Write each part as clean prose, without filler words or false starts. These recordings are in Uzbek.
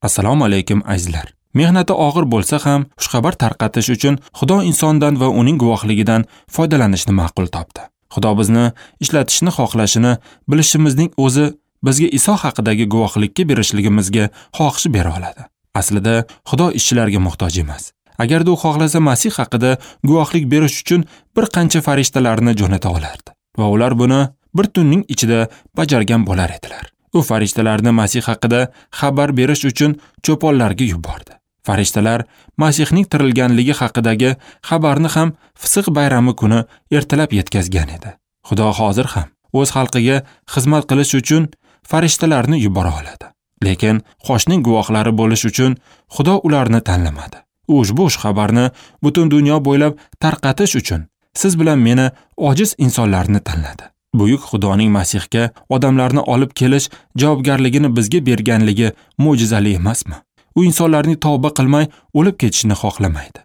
Assalomu alaykum azizlar. Mehnati og'ir bo'lsa ham, xushxabar tarqatish uchun Xudo insondan va uning guvohligidan foydalanishni ma'qul topdi. Xudo bizni ishlatishni xohlashini bilishimizning o'zi bizga Iso haqidagi guvohlikka berishligimizga xohish bera oladi. Aslida Xudo ishchilarga muhtoj emas. Agarda u xohlasa, Masih haqida guvohlik berish uchun bir qancha farishtalarni jo'nata olardi va ular buni bir tunning ichida bajargan bo'lar edilar. U farishtalarni Masih haqida xabar berish uchun cho'ponlarga yubordi. Farishtalar Masihning tirilganligi haqidagi xabarni ham Fisq bayrami kuni ertalab yetkazgan edi. Xudo hozir ham o'z xalqiga xizmat qilish uchun farishtalarni yubora oladi. Lekin qoshning guvohlari bo'lish uchun Xudo ularni tanlamadi. Ushbu xabarni butun dunyo bo'ylab tarqatish uchun siz bilan meni ojiz insonlarni tanladi. Buyuk Xudoning Masihga odamlarni olib kelish javobgarligini bizga berganligi mo'jizali emasmi? U insonlarning tavba qilmay o'lib ketishini xohlamaydi.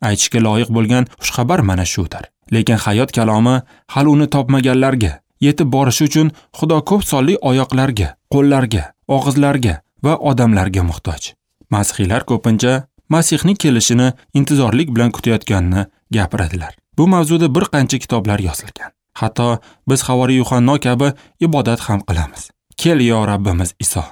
Aytishga loyiq bo'lgan xushxabar mana shudir. Lekin hayot kalomi hali uni topmaganlarga yetib borishi uchun Xudo ko'p sonli oyoqlarga, qo'llarga, og'izlarga va odamlarga muhtoj. Masihiylar ko'pincha Masihning kelishini intizorlik bilan kutayotganini gapiradilar. Bu mavzuda bir qancha kitoblar yozilgan. Hatto biz Havoriy Yuhanno kabi ibodat ham qilamiz. Kel yo Rabbimiz Iso.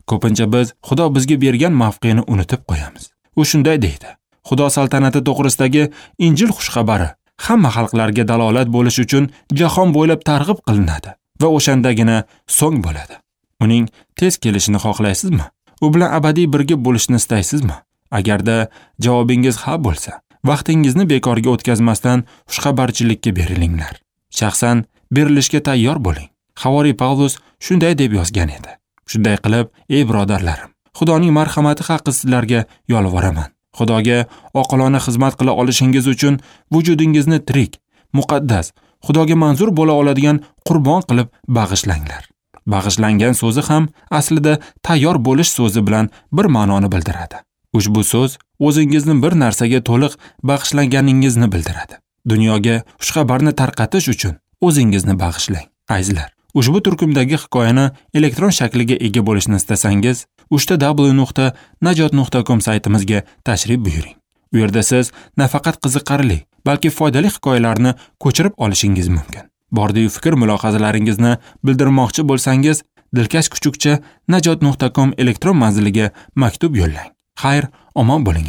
Ko'pincha biz Xudo bizga bergan mavqeni unutib qo'yamiz. U shunday deydi: Xudo saltanati to'g'risidagi Injil xushxabari hamma xalqlarga dalolat bo'lish uchun jahon bo'ylab targ'ib qilinadi va o'shandagina so'ng bo'ladi. Uning tez kelishini xohlaysizmi? U bilan abadiy birga bo'lishni istaysizmi? Agarda javobingiz ha bo'lsa, vaqtingizni bekorga o'tkazmasdan xushxabarchilikka berilinglar. Shaxsan berilishga tayyor bo'ling. Havoriy Pavlus shunday deb yozgan edi: Shunday qilib, ey birodarlarim, Xudoning marhamati haqi sizlarga yolvoraman. Xudoga oqilona xizmat qila olishingiz uchun vujudingizni tirik, muqaddas, Xudoga manzur bo'la oladigan qurbon qilib bag'ishlanglar. Bag'ishlangan so'zi ham aslida tayyor bo'lish so'zi bilan bir ma'noni bildiradi. Ushbu so'z o'zingizni bir narsaga to'liq bag'ishlanganingizni bildiradi. Dunyoga xushxabarni tarqatish uchun o'zingizni bag'ishlang. Azizlar, ushbu turkumdagi hikoyani elektron shakliga ega bo'lishni istasangiz, www.najot.com saytimizga tashrif buyuring. U yerda siz nafaqat qiziqarli, balki foydali hikoyalarni ko'chirib olishingiz mumkin. Bordiyu fikr mulohazalaringizni bildirmoqchi bo'lsangiz, dilkash kuchukcha najot.com elektron manziliga maktub yo'llang. Xayr, omon bo'ling.